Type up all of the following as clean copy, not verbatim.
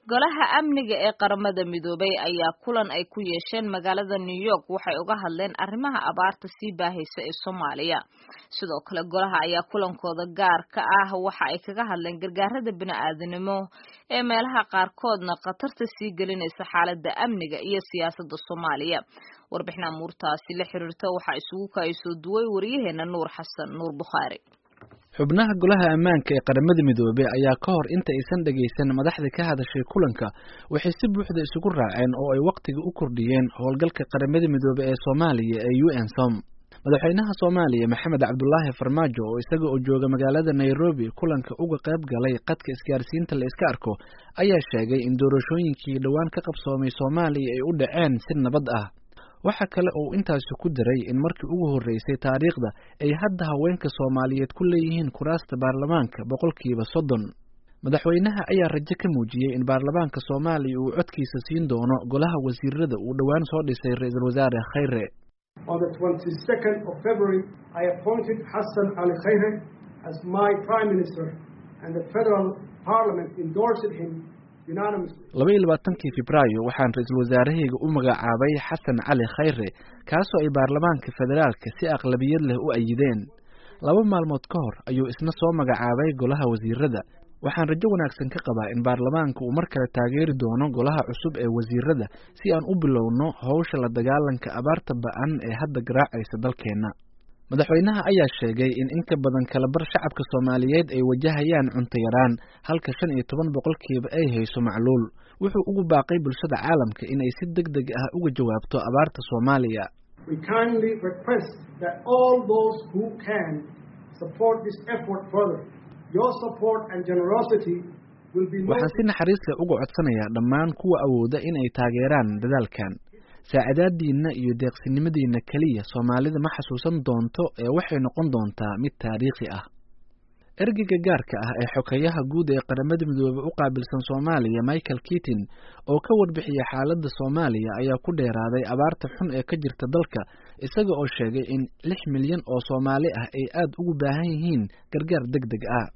Golaha Amniga ee Qaramada Midoobay ayaa kulan ay ku yeesheen magaalada New York waxay uga hadleen arrimaha abaarta sii baahaysa ee Soomaaliya. Sidoo kale golaha ayaa kulankooda gaarka ah waxa ay kaga hadleen gargaarada bini'aadanimo ee meelaha qaarkoodna khatarta sii gelinaysa xaaladda amniga iyo siyaasadda Soomaaliya. Warbixin amuurtaasi la xiriirta waxaa isugu kaayasoo duway wariyaheena Nuur Xasan Nuur Bukhaari. Xubnaha Golaha Ammaanka ee Qaramada Midoobay ayaa ka hor inta aysan dhageysan madaxda ka hadashay kulanka waxay si buuxda isugu raaceen oo ay wakhtiga u kordhiyeen howlgalka Qaramada Midoobay ee Soomaaliya ee UNSOM. Madaxweynaha Soomaaliya Maxamed Cabdulaahi Farmaajo oo isaga oo jooga magaalada Nairobi kulanka uga qayb galay qadka isgaarsiinta la iska arko ayaa sheegay in doorashooyinkii dhowaan ka qabsoomay Soomaaliya ay u dhaceen si nabad ah. Waxa kale oo uu intaasi ku daray in markii ugu horreysay taariikhda ay hadda haweenka Soomaaliyeed ku leeyihiin kuraasta baarlamaanka 30%. Madaxweynaha ayaa rajo ka muujiyey in baarlamaanka Soomaaliya uu codkiisa siin doono golaha wasiirada uu dhowaan soo dhisay Ra'iisul Wasaare Khayre. On the 22nd of February, I appointed Hassan Ali Khayre as my Prime Minister, and the Federal Parliament endorsed him. 22-kii Febraayo waxaan ra-iisul wasaarahayga u magacaabay Xasan Cali Khayre, kaasoo ay baarlamaanka federaalka si aqlabiyad leh u ayideen. 2 maalmood ka hor ayuu isna soo magacaabay golaha wasiirada. Waxaan rajo wanaagsan ka qabaa in baarlamaanka uu mar kale taageeri doono golaha cusub ee wasiirada si aan u bilowno howsha la dagaalanka abaarta ba'an ee hadda garaacaysa dalkeenna. Madaxweynaha ayaa sheegay in in ka badan kala bar shacabka Soomaaliyeed ay wajahayaan cunto yaraan, halka 15% ay hayso macluul. Wuxuu ugu baaqay bulshada caalamka in ay si deg deg ah uga jawaabto abaarta Soomaaliya. We kindly request that all those who can support this effort further. Your support and generosity will be. Waxaan si naxariis leh uga codsanayaa dhammaan kuwa awooda in ay taageeraan dadaalkan. Saacadaadiinna iyo deeqsinimadiinna keliya Soomaalida ma xasuusan doonto ee waxay noqon doontaa mid taariikhi ah. Ergeyga gaarka ah ee xogeyaha guud ee Qaramada Midoobey u qaabilsan Soomaaliya, Michael Keating, oo ka warbixiyay xaaladda Soomaaliya ayaa ku dheeraaday abaarta xun ee ka jirta dalka, isaga oo sheegay in 6 milyan oo Soomaali ah ay aad ugu baahan yihiin gargaar deg deg ah.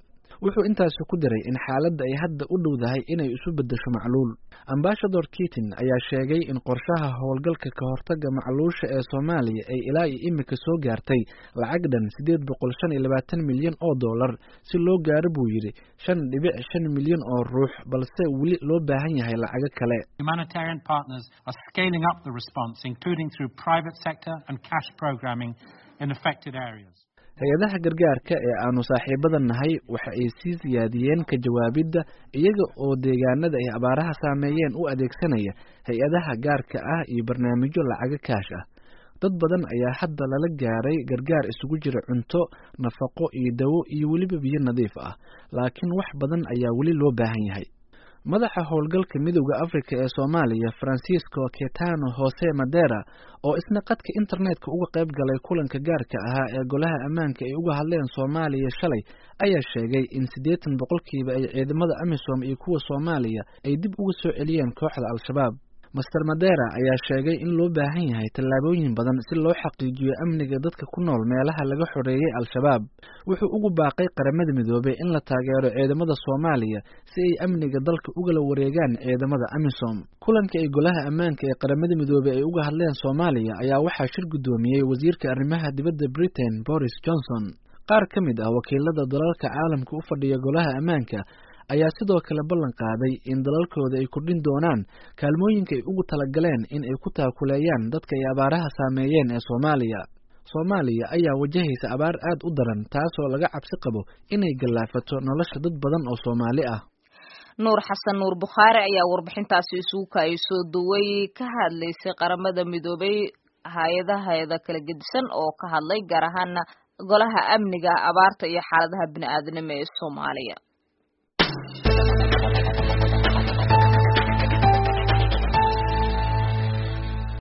Wuxuu intaasi ku daray in xaaladda ay hadda u dhowdahay inay isu beddesho macluul. Ambassador Keating ayaa sheegay in qorshaha howlgalka ka hortagga macluusha ee Soomaaliya ay ilaa iyo imika soo gaartay lacag dhan 825 milyan oo dollar si loo gaaro, buu yidhi, 5.5 milyan oo ruux, balse weli loo baahan yahay lacago kale. Humanitarian partners are scaling up the response, including through private sector and cash programming in affected areas. Hay-adaha gargaarka ee aanu saaxiibada nahay waxa ay sii siyaadiyeen ka jawaabidda, iyaga oo deegaanada ay abaaraha saameeyeen u adeegsanaya hay-adaha gaarka ah iyo barnaamijyo lacago kaash ah. Dad badan ayaa hadda lala gaaray gargaar isugu jira cunto, nafaqo iyo dawo iyo weliba biyo nadiif ah, laakiin wax badan ayaa weli loo baahan yahay. Madaxa howlgalka Midowda Afrika ee Soomaaliya, Francisco Ketano Jose Madera, oo isna qadka internetka uga qayb galay kulanka gaarka ahaa ee Golaha Ammaanka ay uga hadleen Soomaaliya shalay, ayaa sheegay in 80% ay ciidamada AMISOM iyo kuwa Soomaaliya ay dib uga soo celiyeen kooxda Al-Shabaab. Master Madera ayaa sheegay in loo baahan yahay tallaabooyin badan si loo xaqiijiyo amniga dadka ku nool meelaha laga xoreeyey Al-Shabaab. Wuxuu ugu baaqay Qaramada Midoobey in la taageero ciidamada Soomaaliya si ay amniga dalka ugala wareegaan ciidamada AMISOM. Kulanka ay Golaha Ammaanka ee Qaramada Midoobey ay uga hadleen Soomaaliya ayaa waxaa shir guddoomiyey wasiirka arrimaha dibadda Britain, Boris Johnson. Qaar ka mid ah wakiilada dalalka caalamka u fadhiya Golaha Ammaanka ayaa sidoo kale ballan qaaday in dalalkooda ay kordhin doonaan kaalmooyinka ay ugu talagaleen in ay ku taakuleeyaan dadka ay abaaraha saameeyeen ee Soomaaliya. Soomaaliya ayaa wajahaysa abaar aad u daran, taasoo laga cabsi qabo inay gallaafato nolosha dad badan oo Soomaali ah. Nuur Xasan Nuur Bukhaari ayaa warbixintaasi isugu kaayay soo duway ka hadlaysay Qaramada Midoobay hay-adaheeda kala gedisan oo ka hadlay gaar ahaana Golaha Amniga, abaarta iyo xaaladaha bini'aadanimo ee Soomaaliya.